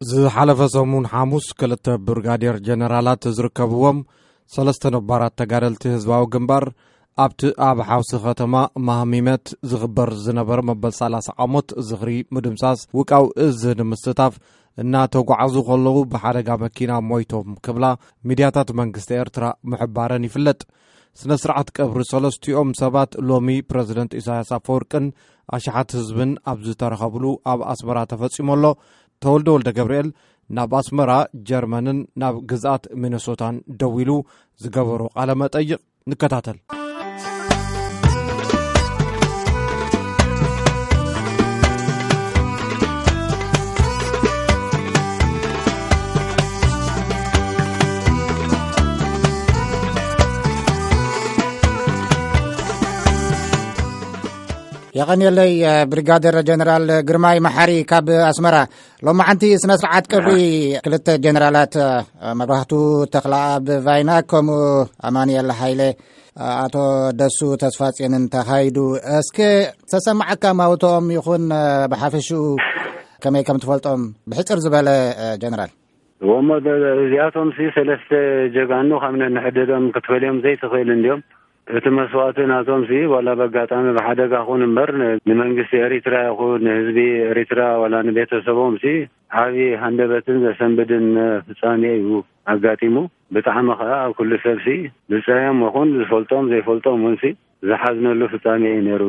ዝሓለፈ ሰሙን ሓሙስ፣ ክልተ ብርጋዴር ጀነራላት ዝርከብዎም ሰለስተ ነባራት ተጋደልቲ ህዝባዊ ግንባር፣ ኣብቲ ኣብ ሓውሲ ከተማ ማህሚመት ዝኽበር ዝነበረ መበል ሰላሳ ዓመት ዝኽሪ ምድምሳስ ውቃው እዝ ንምስታፍ እናተጓዓዙ ከለዉ ብሓደጋ መኪና ሞይቶም ክብላ ሚድያታት መንግስቲ ኤርትራ ምሕባረን ይፍለጥ። ስነ ስርዓት ቀብሪ ሰለስቲኦም ሰባት ሎሚ ፕረዚደንት ኢሳያስ ኣፈወርቅን ኣሽሓት ህዝብን ኣብ ዝተረኸብሉ ኣብ ኣስመራ ተፈጺሙ ኣሎ። ተወልደ ወልደ ገብርኤል ናብ ኣስመራ፣ ጀርመንን ናብ ግዝኣት ሚነሶታን ደዊሉ ዝገበሮ ቃለ መጠይቕ ንከታተል። የቐንየለይ፣ ብሪጋደር ጀነራል ግርማይ መሓሪ ካብ ኣስመራ። ሎማዓንቲ ስነ ስርዓት ቀብሪ ክልተ ጀነራላት፣ መብራህቱ ተኽለኣብ ቫይና፣ ከምኡ ኣማኑኤል ሃይለ፣ ኣቶ ደሱ ተስፋጽዮንን ተኻይዱ። እስከ ተሰማዓካ ማውቶኦም ይኹን ብሓፈሽኡ ከመይ ከም ትፈልጦም ብሕጽር ዝበለ፣ ጀነራል? እሞ ደ-፣ እዚኣቶም ሲ ሰለስተ ጀጋኑ ካብ ነንሕድዶም ክትፈልዮም ዘይትኽእል እንዲዮም። እቲ መስዋእቲ ናቶም ሲ ዋላ በጋጣሚ ብሓደጋ ኹን እምበር ን-፣ ንመንግስቲ ኤሪትራ ይኹን ንህዝቢ ኤሪትራ ዋላ ንቤተሰቦም ሲ ዓብዪ ሃንደበትን ዘሰንብድን ፍጻሜ እዩ ኣጋጢሙ። ብጣዕሚ ኸዓ ኣብ ኩሉ ሰብ ሲ ዝጸየም ይኹን ዝፈልጦም ዘይፈልጦም እውን ሲ ዝሓዝነሉ ፍጻሜ እዩ ነይሩ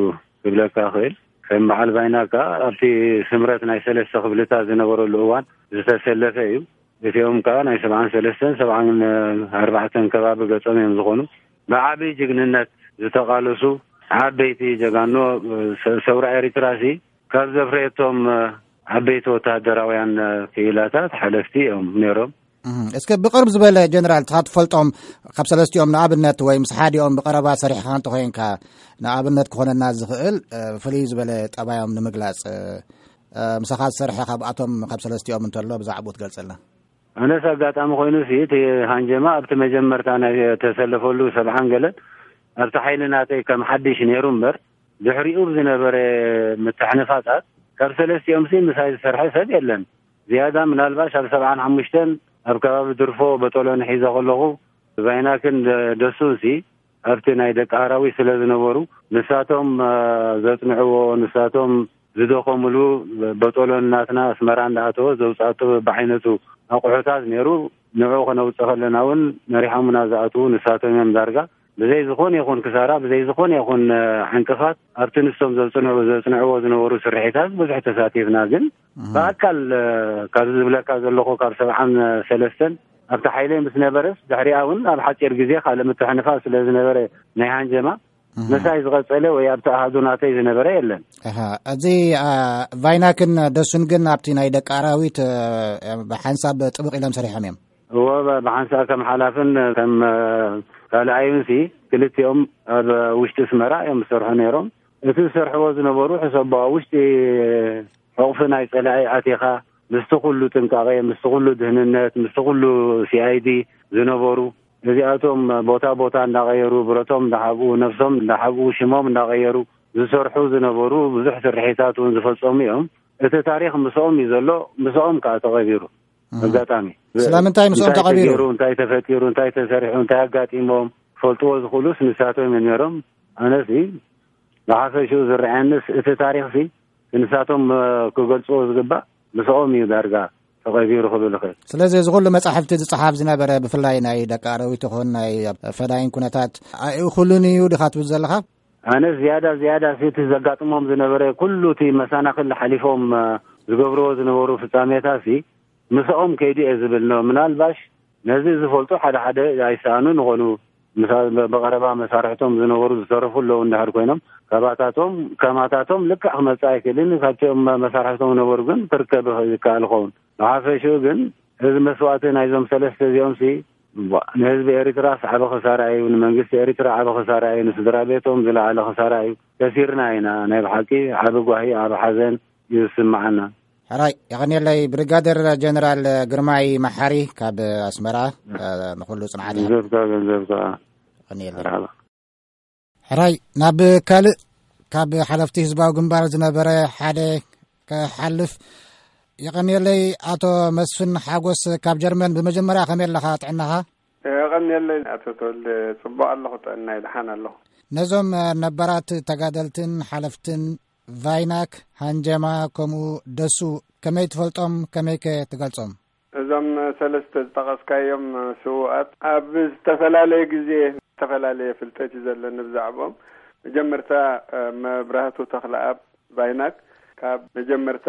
ክብለካ እኽእል። ከም በዓል ባይና ከኣ ኣብቲ ስምረት ናይ ሰለስተ ክፍልታት ዝነበረሉ እዋን ዝተሰለፈ እዩ። እቲኦም ከኣ ናይ ሰብዓን ሰለስተን ሰብዓን ኣርባዕተን ከባቢ ገጾም እዮም ዝኾኑ። ብዓቢ ጅግንነት ዝተቓለሱ ዓበይቲ ጀጋኖ ሰ-፣ ሰውራ ኤሪትራ ሲ ካብ ዘፍረየቶም ዓበይቲ ወተሃደራውያን ክኢላታት ሓለፍቲ እዮም ነይሮም። እህ፣ እስከ ብቕርብ ዝበለ ጀነራል ትኻ ትፈልጦም ካብ ሰለስቲኦም ንኣብነት ወይ ምስ ሓዲኦም ብቐረባ ሰሪሕኻ እንተኾይንካ ንኣብነት ክኾነና ዝኽእል፣ እ፣ ፍልይ ዝበለ ጠባዮም ንምግላጽ፣ እ፣ እ፣ ምሳኻ ዝሰርሐ ካብኣቶም ካብ ሰለስቲኦም እንተሎ ብዛዕባኡ ትገልጸልና? ኣነስ ኣጋጣሚ ኮይኑ ሲ እቲ ሃንጀማ ኣብቲ መጀመርታ ናይ ተሰለፈሉ ሰብዓን ገለን ኣብቲ ሓይሊ ናተይ ከም ሓድሽ ነይሩ እምበር ድሕሪኡ ብዝነበረ ምትሕንፋጻት ካብ ሰለስቲኦም ሲ ምሳይ ዝሰርሐ ሰብ የለን። ዝያዳ ምናልባሽ ኣብ ሰብዓን ሓሙሽተን ኣብ ከባቢ ድርፎ በጦሎኒ ሒዘ ከለኹ ቫይናክን ደ-፣ ደሱን ሲ ኣብቲ ናይ ደቂ ኣራዊት ስለ ዝነበሩ ንሳቶም፣ እ፣ ዘጽንዕዎ ንሳቶም ዝደኸሙሉ በጦሎኒ ናትና ኣስመራ እንዳኣተወ ዘውጻእቶ በብዓይነቱ ኣቑሑታት ነይሩ። ንዑ ከነውጽእ ከለና እውን መሪሖምና ዝኣትዉ ንሳቶም እዮም ዳርጋ። ብዘይ ዝኾነ ይኹን ክሳራ፣ ብዘይ ዝኾነ ይኹን፣ እ፣ ዕንቅፋት ኣብቲ ንሶም ዘጽንዑ-፣ ዘጽንዕዎ ዝነበሩ ስርሒታት ብዙሕ ተሳቲፍና። ግን እህ። ብኣካል፣ እ፣ ካብዚ ዝብለካ ዘለኹ ካብ ሰብዓን ሰለስተን ኣብቲ ሓይለይ ምስ ነበረስ ድሕሪኣ እውን ኣብ ሓጺር ግዜ ካልእ ምትሕንፋጽ ስለ ዝነበረ ናይ ሃንጀማ እህ። ምሳይ ዝቐጸለ ወይ ኣብቲ ኣሃዱ ናተይ ዝነበረ የለን። ኣሃ፣ እዚ፣ አ፣ ቫይናክን ደሱን ግን ኣብቲ ናይ ደቂ ኣራዊት፣ እ፣ ብሓንሳብ ጥብቕ ኢሎም ሰሪሖም እዮም። እወ፣ ብ-፣ ብሓንሳብ ከም ሓላፍን ከም፣ እ፣ ካልኣዩን ሲ ክልቲኦም ኣብ ውሽጢ ኣስመራ እዮም ዝሰርሑ ነይሮም። እቲ ዝሰርሕዎ ዝነበሩ ሕሰቦ ኣብ ውሽጢ ሕቑፊ ናይ ጸላኢ ኣቲኻ ምስቲ ኩሉ ጥንቃቐ፣ ምስቲ ኩሉ ድህንነት፣ ምስቲ ኩሉ ሲ ኣይ ዲ ዝነበሩ እዚኣቶም ቦታ ቦታ እንዳቐየሩ ብረቶም እንዳሓብኡ ነፍሶም እንዳሓብኡ ሽሞም እንዳቐየሩ ዝሰርሑ ዝነበሩ ብዙሕ ስርሒታት እውን ዝፈጸሙ እዮም። እቲ ታሪኽ ምስኦም እዩ ዘሎ፣ ምስኦም ከዓ ተቐቢሩ። እህ። ኣጋጣሚ ስለምንታይ ምስኦም እንታይ ተቐቢሩ? ተገይሩ፣ እንታይ ተፈጢሩ፣ እንታይ ተሰሪሑ፣ እንታይ ኣጋጢሞም ፈልጥዎ ዝኽእሉስ ንሳቶም እዮም ነይሮም። ኣነሲ ብሓፈሽኡ ዝረኣየንስ እቲ ታሪኽሲ ንሳቶም፣ እ፣ ክገልጽዎ ዝግባእ ምስኦም እዩ ዳርጋ ተቐቢሩ ክብል ይኽእል። ስለዚ እዚ ኩሉ መጻሕፍቲ ዝጸሓፍ ዝነበረ ብፍላይ ናይ ደቂ ኣረዊት ይኹን ናይ ፈዳይን ኩነታት ኣይእኹልን እዩ ዲኻ ትብል ዘለኻ? ኣነ ዝያዳ፣ ዝያዳ እቲ ዘጋጥሞም ዝነበረ ኩሉ እቲ መሰናኽል ሓሊፎም፣ እ፣ ዝገብርዎ ዝነበሩ ፍጻሜታትሲ ምስኦም ከይዱ እየ ዝብል ነው። ምናልባሽ ነዚ ዝፈልጡ ሓደ ሓደ ኣይሰኣኑን ይኾኑ። ምሳ-፣ ብቐረባ መሳርሕቶም ዝነበሩ ዝተረፉ ኣለዉ እንድሕር ኮይኖም፣ ካባታቶም፣ ከማታቶም ልክዕ ክመጽእ ኣይክእልን። ካብቲኦም መሳርሕቶም ዝነበሩ ግን ክርከብ ይኸ-፣ ይከኣል ይኸውን። ብሓፈሽኡ ግን እዚ መስዋእቲ ናይዞም ሰለስተ እዚኦምሲ፣ ቧ፣ ንህዝቢ ኤሪትራስ ዓቢ ክሳራ እዩ፣ ንመንግስቲ ኤሪትራ ዓቢ ክሳራ እዩ፣ ንስድራ ቤቶም ዝለዓለ ክሳራ እዩ። ከሲርና ኢና፣ ናይ ብሓቂ ዓቢ ጓሂ፣ ዓቢ ሓዘን እዩ ዝስምዓና። ሕራይ፣ የቐንየለይ ብሪጋደር ጀነራል ግርማይ መሓሪ ካብ ኣስመራ፣ እ፣ ንኹሉ ጽንዓት ይሃብ። ገንዘብካ፣ ገንዘብካ። የቐንየለይ። መርሓባ። ሕራይ፣ ናብ ካልእ ካብ ሓለፍቲ ህዝባዊ ግንባር ዝነበረ ሓደ ክሓልፍ የቐንየለይ። ኣቶ መስፍን ሓጎስ ካብ ጀርመን፣ ብመጀመርያ ከመይ ኣለኻ? ጥዕናኻ? የቐንየለይ ኣቶ ተወልደ፣ ጽቡቕ ኣለኹ፣ ጥዕናይ ደሓን ኣለኹ። ነዞም ነባራት ተጋደልትን ሓለፍትን ቫይናክ፣ ሃንጀማ፣ ከምኡ ደሱ ከመይ ትፈልጦም? ከመይከ ትገልጾም? እዞም ሰለስተ ዝጠቐስካዮም ስዉኣት ኣብ ዝተፈላለየ ግዜ ዝተፈላለየ ፍልጠት እዩ ዘለኒ ብዛዕባኦም። መጀመርታ መብራህቱ ተኽለኣብ ቫይናክ ካብ መጀመርታ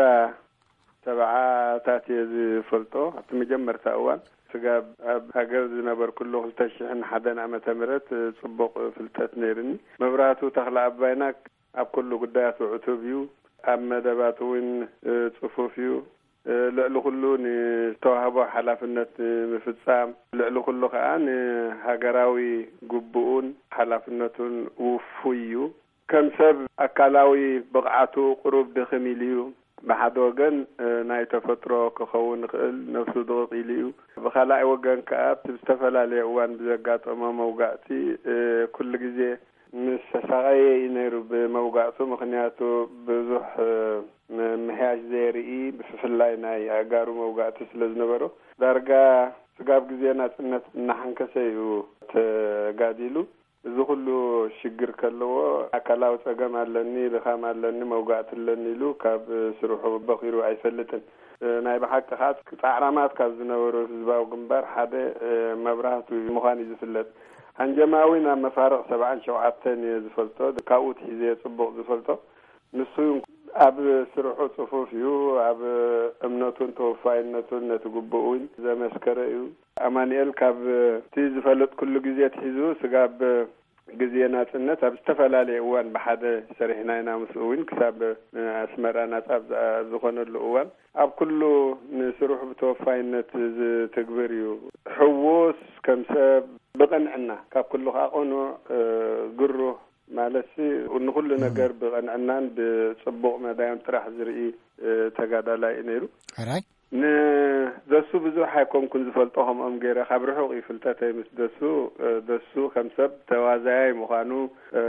ሰብዓታት እየ ዝፈልጦ። ኣብቲ መጀመርታ እዋን ስጋብ ኣብ ሃገር ዝነበርኩሉ ክልተ ሽሕን ሓደን ዓመተ ምህረት ጽቡቕ ፍልጠት ነይርኒ። መብራህቱ ተኽለኣብ ቫይናክ ኣብ ኩሉ ጉዳያቱ ዕቱብ እዩ። ኣብ መደባቱ እውን ጽፉፍ እዩ። ልዕሊ ኩሉ ንዝተዋህቦ ሓላፍነት ንምፍጻም፣ ልዕሊ ኩሉ ከኣ ንሃገራዊ ግቡኡን ሓላፍነቱን ውፉይ እዩ። ከም ሰብ ኣካላዊ ብቕዓቱ ቁሩብ ድኽም ኢሉ እዩ። ብሓደ ወገን ናይ ተፈጥሮ ክኸውን ይኽእል፣ ነፍሱ ድቕቕ ኢሉ እዩ። ብኻልኣይ ወገን ከኣ ኣብቲ ዝተፈላለየ እዋን ብዘጋጠሞ መውጋእቲ ኩሉ ግዜ ምስ ተሳቐየ እዩ ነይሩ ብመውጋእቱ። ምኽንያቱ ብዙሕ ምምሕያሽ ዘየርኢ፣ ብፍላይ ናይ ኣእጋሩ መውጋእቲ ስለ ዝነበሮ፣ ዳርጋ ስጋብ ግዜ ናጽነት እናሓንከሰ እዩ ተጋዲሉ። እዚ ኩሉ ሽግር ከለዎ፣ ኣካላዊ ጸገም ኣለኒ፣ ድኻም ኣለኒ፣ መውጋእቲ ኣለኒ ኢሉ ካብ ስርሑ በኺሩ ኣይፈልጥን። ናይ ብሓቂ ከኣ ጻዕራማት ካብ ዝነበሩ ህዝባዊ ግንባር ሓደ መብራህቱ ምዃን እዩ ዝፍለጥ። ሃንጀማዊ ናብ መፋርቕ ሰብዓን ሸውዓተን እየ ዝፈልጦ፣ ካብኡ ትሒዘ እየ ጽቡቕ ዝፈልጦ። ንሱ ኣብ ስርሑ ጽፉፍ እዩ፣ ኣብ እምነቱን ተወፋይነቱን ነቲ ግቡእ እውን ዘመስከረ እዩ። ኣማኑኤል ካብ እቲ ዝፈለጥኩሉ ግዜ ትሒዙ ስጋብ ግዜ ናጽነት ኣብ ዝተፈላለየ እዋን ብሓደ ሰሪሕና ኢና። ምስኡ እውን ክሳብ ኣስመራ ናጻ ኣብ ዝኣ-፣ ኣብ ዝኾነሉ እዋን ኣብ ኩሉ ንስርሑ ብተወፋይነት ዝትግብር እዩ። ሕዉስ፣ ከም ሰብ ብቕንዕና፣ ካብ ኩሉ ከኣ ቅኑዕ፣ ግሩህ፣ ማለትሲ ንኹሉ ነገር ብቕንዕናን ብጽቡቕ መዳዮም ጥራሕ ዝርኢ ተጋዳላይ እዩ ነይሩ። ሕራይ። ንደሱ ብዙሕ ኣይኮንኩን ዝፈልጦ፣ ከምኦም ገይረ ካብ ርሑቕ እዩ ፍልጠተይ ምስ ደሱ። ደሱ ከም ሰብ ተዋዛያይ ምዃኑ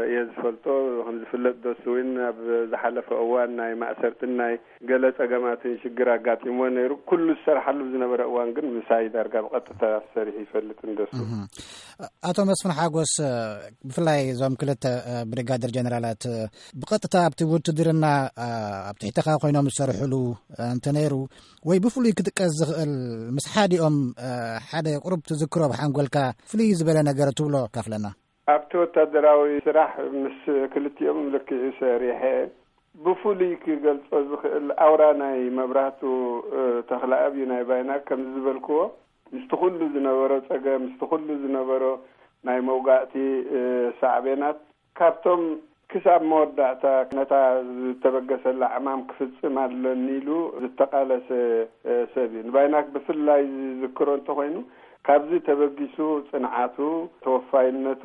እየ ዝፈልጦ። ከም ዝፍለጥ ደሱ እውን ኣብ ዝሓለፈ እዋን ናይ ማእሰርትን ናይ ገለ ጸገማትን ሽግር ኣጋጢምዎ ነይሩ። ኩሉ ዝሰርሓሉ ዝነበረ እዋን ግን ምሳይ ዳርጋ ብቐጥታ ሰሪሑ ይፈልጥ እንደሱ። እህ። ኣቶ መስፍን ሓጎስ፣ ብፍላይ እዞም ክልተ ብሪጋደር ጀነራላት ብቐጥታ ኣብቲ ውትድርና ኣብ ትሕተኻ ኮይኖም ዝሰርሕሉ እንተነይሩ፣ ወይ ብፍሉይ ክጥቀስ ዝኽእል ምስ ሓዲኦም ሓደ ቁሩብ ትዝክሮ ብሓንጎልካ ፍልይ ዝበለ ነገር ትብሎ ካፍለና። ኣብቲ ወታደራዊ ስራሕ ምስ ክልቲኦም ልክዕ ሰሪሐ። ብፍሉይ ክገልጾ ዝኽእል ኣውራ ናይ መብራህቱ ተኽለኣብ እዩ ናይ ባይና። ከምዚ ዝበልክዎ፣ ምስቲ ኩሉ ዝነበሮ ጸገም፣ ምስቲ ኩሉ ዝነበሮ ናይ መውጋእቲ ሳዕቤናት፣ ካብቶም ክሳብ መወዳእታ ነታ ዝተበገሰላ ዕማም ክፍጽም ኣለኒ ኢሉ ዝተቓለሰ ሰብ እዩ። ንባይናክ ብፍላይ ዝዝክሮ እንተኾይኑ፣ ካብዚ ተበጊሱ ጽንዓቱ፣ ተወፋይነቱ፣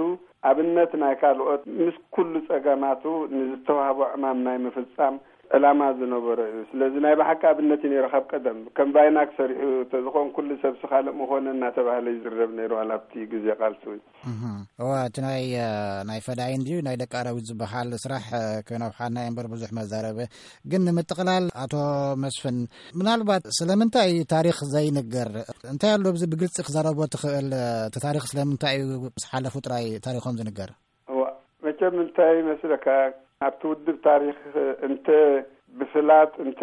ኣብነት ናይ ካልኦት፣ ምስ ኩሉ ጸገማቱ ንዝተዋህቦ ዕማም ናይ ምፍጻም ዕላማ ዝነበሮ እዩ። ስለዚ ናይ ብሓቂ ኣብነት እዩ ነይሩ። ካብ ቀደም ከም ባይናክ ሰሪሑ ተዝኾን ኩሉ ሰብሲ ካልእ ምኾነ እናተባህለ ይዝረብ ነይሩ፣ ዋላ ኣብቲ ግዜ ቃልሲ እውን። እህ። እዋ፣ እቲ ናይ፣ እ፣ ናይ ፈዳይን ድዩ ናይ ደቂ ኣራዊት ዝበሃል ስራሕ፣ እ፣ ከይነውሓና እምበር ብዙሕ መዛረበ። ግን ንምጥቕላል ኣቶ መስፍን፣ ምናልባት ስለምንታይ ታሪኽ ዘይንገር? እንታይ ኣሎ ኣብዚ ብግልጺ ክዛረቦ ትኽእል? እቲ ታሪኽ ስለምንታይ እዩ ምስ ሓለፉ ጥራይ ታሪኾም ዝንገር? እዋ፣ መቸም እንታይ ይመስለካ፣ ኣብቲ ውድብ ታሪኽ እንተ ብፍላጥ እንተ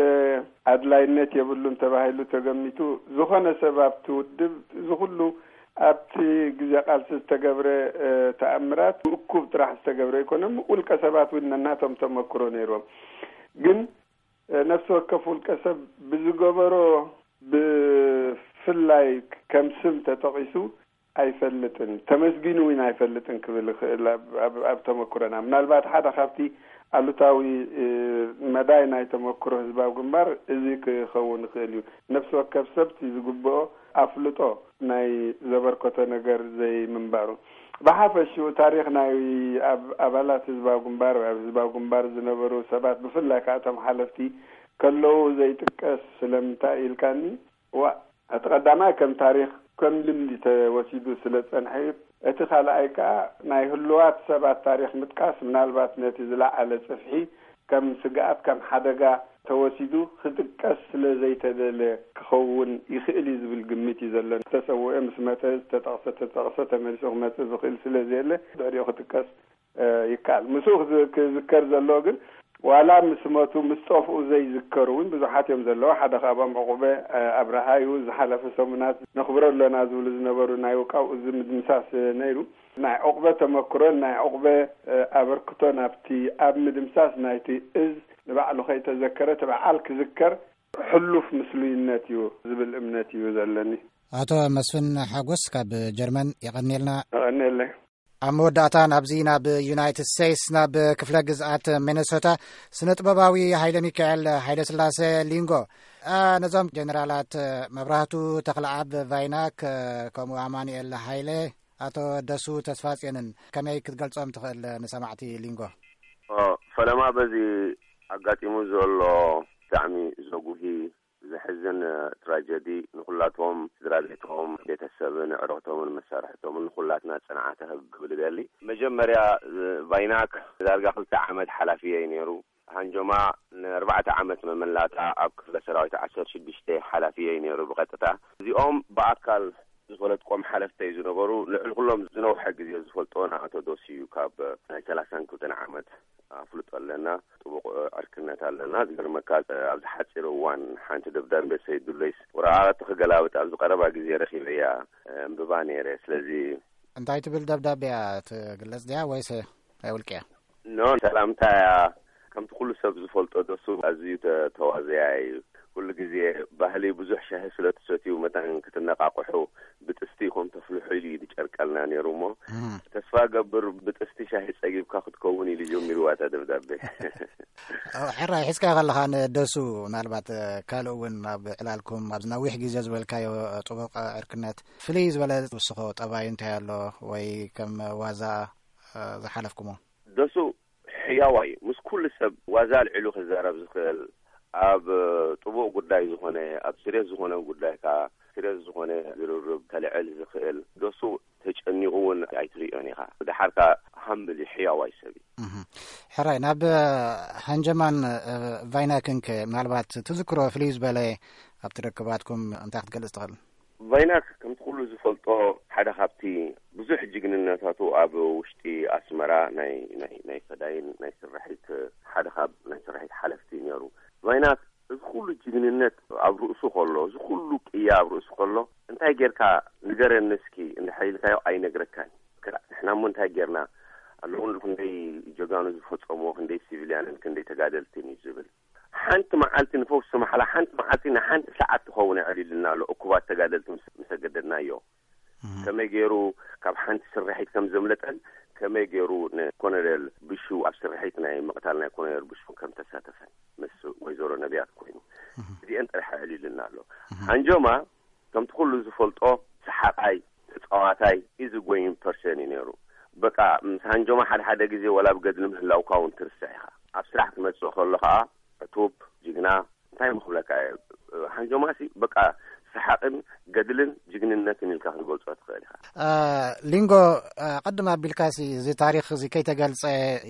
ኣድላይነት የብሉን ተባሂሉ ተገሚቱ፣ ዝኾነ ሰብ ኣብቲ ውድብ እዚ ኩሉ ኣብቲ ግዜ ቃልሲ ዝተገብረ፣ እ፣ ተኣምራት ብእኩብ ጥራሕ ዝተገብረ ኣይኮነን። ውልቀ ሰባት እውን ነናቶም ተመክሮ ነይሮም። ግን፣ እ፣ ነፍሲ ወከፍ ውልቀ ሰብ ብዝገበሮ ብፍላይ ከም ስም ተጠቒሱ ኣይፈልጥን፣ ተመስጊኑ እውን ኣይፈልጥን ክብል ይኽእል። ኣብ፣ ኣብ፣ ኣብ ተመክሮና ምናልባት ሓደ ካብቲ ኣሉታዊ፣ እ፣ መዳይ ናይ ተመክሮ ህዝባዊ ግንባር እዚ ክኸውን ይኽእል እዩ። ነፍሲ ወከፍ ሰብ እቲ ዝግብኦ ኣፍልጦ ናይ ዘበርከቶ ነገር ዘይምንባሩ። ብሓፈሽኡ ታሪኽ ናይ ኣብ-፣ ኣባላት ህዝባዊ ግንባር ወይ ኣብ ህዝባዊ ግንባር ዝነበሩ ሰባት፣ ብፍላይ ከኣ እቶም ሓለፍቲ ከለዉ ዘይጥቀስ ስለምንታይ ኢልካኒ፣ ዋ፣ እቲ ቀዳማይ ከም ታሪኽ፣ ከም ልምዲ ተወሲዱ ስለ ዝጸንሐ እዩ። እቲ ካልኣይ ከኣ ናይ ህሉዋት ሰባት ታሪኽ ምጥቃስ ምናልባት ነቲ ዝለዓለ ጽፍሒ ከም ስግኣት፣ ከም ሓደጋ ተወሲዱ ክጥቀስ ስለ ዘይተደለ ክኸውን ይኽእል እዩ ዝብል ግምት እዩ ዘሎ። ዝተሰውአ ምስ መተ ዝተጠቕሰ፣ ተጠቕሰ ተመሊሱ ክመጽእ ዝኽእል ስለ ዘየለ ድሕሪኡ ክጥቀስ እ፣ ይከኣል። ምስኡ ክዝ-፣ ክዝከር ዘለዎ ግን ዋላ ምስ መቱ ምስ ጠፍኡ ዘይዝከሩ እውን ብዙሓት እዮም ዘለዉ። ሓደ ካብኦም ዕቑበ፣ እ፣ ኣብርሃ እዩ። ዝሓለፈ ሰሙናት ነኽብሮ ኣለና ዝብሉ ዝነበሩ ናይ ውቃው እዚ ምድምሳስ ነይሩ። ናይ ዕቑበ ተመክሮን ናይ ዕቑበ፣ እ፣ ኣበርክቶን ኣብቲ ኣብ ምድምሳስ ናይቲ እዝ ንባዕሉ ከይተዘከረ እቲ በዓል ክዝከር ሕሉፍ ምስሉይነት እዩ ዝብል እምነት እዩ ዘለኒ። ኣቶ መስፍን ሓጎስ ካብ ጀርመን የቐንየልና። የቐንየለይ። ኣብ መወዳእታ ናብዚ ናብ ዩናይትድ ስቴትስ ናብ ክፍለ ግዝኣት ሚነሶታ ስነ ጥበባዊ ሃይለ ሚካኤል ሃይለ ስላሴ ሊንጎ፣ እ፣ ነዞም ጀነራላት መብራህቱ ተኽለኣብ ቫይናክ፣ እ፣ ከምኡ ኣማኑኤል ሃይለ፣ ኣቶ ደሱ ተስፋጽዮንን ከመይ ክትገልጾም ትኽእል ንሰማዕቲ ሊንጎ? ኦ፣ ፈለማ በዚ ኣጋጢሙ ዘሎ ብጣዕሚ ዘጉሂ ዘሕዝን ትራጀዲ ንኹላቶም ስድራ ቤቶም፣ ቤተሰብን፣ ኣዕሩኽቶምን፣ መሳርሕቶምን ንኹላትና ጽንዓት ክህብ ክብል እደሊ። መጀመርያ፣ እ፣ ቫይናክ ዳርጋ ክልተ ዓመት ሓላፊየይ ነይሩ። ሃንጆማ ንኣርባዕተ ዓመት መመላእታ ኣብ ክፍለ ሰራዊት ዓሰርተ ሽዱሽተ ሓላፊየይ ነይሩ ብቐጥታ። እዚኦም ብኣካል ዝፈለጥቆም ሓለፍተይ ዝነበሩ፣ ልዕሊ ኩሎም ዝነውሐ ግዜ ዝፈልጦ ንኣቶ ዶስ እዩ። ካብ ናይ ሰላሳን ክልተን ዓመት ኣፍልጦ ኣለና፣ ጥቡቕ ዕርክነት ኣለና። ዝገርመካ፣ ኣብዚ ሓጺር እዋን ሓንቲ ደብዳቤ ሰይድ ዱለይስ ወረቓቕቲ ክገላብጥ ኣብዚ ቀረባ ግዜ ረኺበያ፣ ኣንብባ ነይረ። ስለዚ እንታይ ትብል ደብዳቤ እያ? ትግለጽ ድያ ወይስ ናይ ውልቂ እያ? ኖ፣ ሰላምታ እያ። ከምቲ ኩሉ ሰብ ዝፈልጦ፣ ደሱ ኣዝዩ ተ-፣ ተዋዘያ እዩ። ኩሉ ግዜ ባህሊ ብዙሕ ሻሂ ስለ ትሰትዩ መታን ክትነቃቕሑ ብጥስቲ ኢኹም ተፍልሑ ኢሉ እዩ ዝጨርቀልና ነይሩ እሞ፣ እህ። ተስፋ ገብር ብጥስቲ ሻሂ ጸጊብካ ክትከውን ኢሉ ጀሚርዋ እታ ደብዳቤ። ኦ፣ ሕራይ ሒዝካ ከለኻ ንደሱ፣ ምናልባት፣ እ፣ ካልእ እውን ኣብ ዕላልኩም ኣብዚ ነዊሕ ግዜ ዝበልካዮ፣ እ፣ ጥቡቕ፣ እ፣ ዕርክነት ፍልይ ዝበለ ዝውስኾ ጠባይ እንታይ ኣሎ? ወይ ከም ዋዛ፣ እ፣ ዝሓለፍኩሞ? ደሱ ሕያዋይ እዩ። ምስ ኩሉ ሰብ ዋዛ ኣልዒሉ ክዛረብ ዝኽእል፣ ኣብ ጥቡቕ ጉዳይ ዝኾነ፣ ኣብ ስሬት ዝኾነ ጉዳይ ከኣ ስሬት ዝኾነ ዝርርብ ከልዕል ዝኽእል፣ ደሱ ተጨኒቑ እውን ኣይትርእዮን ኢኻ። ደሓር ከኣ ሃምብል እዩ፣ ሕያዋይ ሰብ እዩ። እህ። ሕራይ፣ ናብ፣ እ፣ ሃንጀማን፣ እ፣ ቫይናክንከ ምናልባት ትዝክሮ ፍልይ ዝበለ ኣብቲ ርክባትኩም እንታይ ክትገልጽ ትኽእል? ቫይናክ ከምቲ ኩሉ ዝፈልጦ ሓደ ካብቲ ብዙሕ ጅግንነታቱ ኣብ ውሽጢ ኣስመራ ናይ፣ ናይ፣ ናይ ፈዳይን ናይ ስርሒት ሓደ ካብ ናይ ስርሒት ሓለፍቲ ነይሩ። ቫይናክ እዚ ኩሉ ጅግንነት ኣብ ርእሱ ከሎ፣ እዚ ኩሉ ቅያ ኣብ ርእሱ ከሎ፣ እንታይ ጌርካ ንገረኒ እስኪ እንድሕር ኢልካዮ ኣይነግረካን እዩ። ክላ-፣ ንሕና እሞ እንታይ ጌርና? ኣለዉ ክንደይ ጀጋኑ ዝፈጸምዎ፣ ክንደይ ሲቪልያንን ክንደይ ተጋደልትን እዩ ዝብል። ሓንቲ መዓልቲ ንፈውሲ ማሕላ፣ ሓንቲ መዓልቲ ንሓንቲ ሰዓት ትኸውን ኣዕሊልና ኣሎ፣ እኩባት ተጋደልቲ ምስ፣ ምስ ኣገደድናዮ። እህ። ከመይ ገይሩ ካብ ሓንቲ ስርሒት ከም ዘምለጠን፣ ከመይ ገይሩ ንኮሎኔል ብሹ ኣብ ስርሒት ናይ ምቕታል ናይ ኮሎኔል ብሹ ከም ተሳተፈን ምስ ወይዘሮ ነቢያት ኮይኑ። እህ። እዚአን ጥራሕ ኣዕሊልና ኣሎ። እህ። ሃንጆማ ከምቲ ኩሉ ዝፈልጦ ሰሓቓይ፣ ተጻዋታይ፣ ኢዚ ጎይንግ ፐርሰን እዩ ነይሩ። በቃ ምስ ሃንጆማ ሓደ ሓደ ግዜ ወላ ኣብ ገድሊ ምህላውካ እውን ትርስዕ ኢኻ። ኣብ ስራሕ ክመጽእ ከሎ ከኣ ዕቱብ፣ ጅግና፣ እንታይ ምኽብለካ እየ። ሃንጆማሲ በቃ ሰሓቕን ገድልን ጅግንነትን ኢልካ ክትገልጾ ትኽእል ኢኻ። እ፣ ሊንጎ፣ እ፣ ቅድም ኣቢልካሲ እዚ ታሪኽ እዚ ከይተገልጸ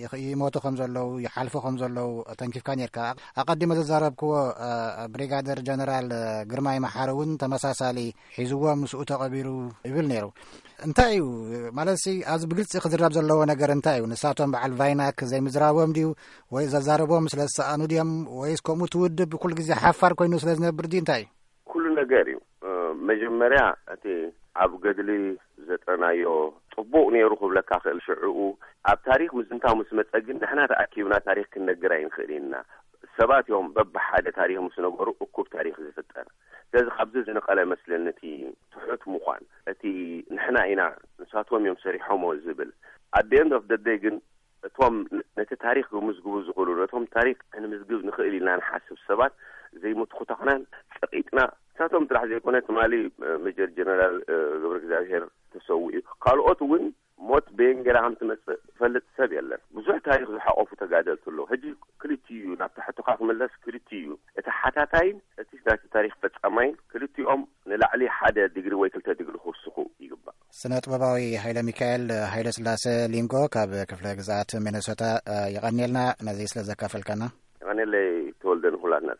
ይኽ-፣ ይሞቱ ከም ዘለዉ፣ ይሓልፉ ከም ዘለዉ ተንኪፍካ ነርካ። ኣቐዲመ ዘዛረብክዎ፣ እ፣ ብሪጋደር ጀነራል ግርማይ መሓሪ እውን ተመሳሳሊ ሒዝዎ ምስኡ ተቐቢሩ ይብል ነይሩ። እንታይ እዩ ማለትሲ፣ ኣብዚ ብግልጺ ክዝረብ ዘለዎ ነገር እንታይ እዩ? ንሳቶም በዓል ቫይናክ ዘይምዝራቦም ድዩ? ወይ ዘዛረቦም ስለ ዝሰኣኑ ድዮም? ወይስ ከምኡ እቲ ውድብ ኩሉ ግዜ ሓፋር ኮይኑ ስለ ዝነብር ድዩ? እንታይ እዩ? ኩሉ ነገር እዩ። እ፣ መጀመርያ እቲ ኣብ ገድሊ ዘጥረናዮ ጽቡቕ ነይሩ ክብለካ ክእል። ሽዕኡ ኣብ ታሪኽ ምዝንታው ምስ መጸ ግን ንሕና ተኣኪብና ታሪኽ ክንነግር ኣይንኽእል ኢና። ሰባት እዮም በብሓደ ታሪኽ ምስ ነገሩ እኩብ ታሪኽ ዝፍጠር። ስለዚ ካብዚ ዝነቐለ መስለኒ እቲ ትሑት ምዃን፣ እቲ ንሕና ኢና ንሳቶም እዮም ሰሪሖሞ ዝብል። At the end of the day ግን እቶም ነቲ ታሪኽ ክምዝግቡ ዝኽእሉ፣ ነቶም ታሪኽ ክንምዝግብ ንኽእል ኢልና ንሓስብ ሰባት ዘይምትኹታኽናን ጸቒጥና፣ ንሳቶም ጥራሕ ዘይኮነ ትማሊ፣ እ፣ ሜጀር ጀነራል፣ እ፣ ገብረ እግዚኣብሔር ተሰዊኡ እዩ። ካልኦት እውን ሞት በየን ጌራ ከም ትመጽእ ዝፈልጥ ሰብ የለን። ብዙሕ ታሪኽ ዝሓቆፉ ተጋደልቲ ኣለዉ። ሕጂ ክልቲኡ እዩ፣ ናብቲ ሕቶኻ ክምለስ ክልቲኡ እዩ። እቲ ሓታታይን እቲ ናቲ ታሪኽ ፈጻማይን ክልቲኦም ንላዕሊ ሓደ ዲግሪ ወይ ክልተ ዲግሪ ክውስኹ ይግባእ። ስነ ጥበባዊ ሃይለ ሚካኤል ሃይለ ስላሴ ሊንጎ ካብ ክፍለ ግዝኣት ሚነሶታ፣ እ፣ የቐንየልና ነዚ ስለ ዘካፈልካና። የቐንየለይ ተወልደ፣ ንኹላትና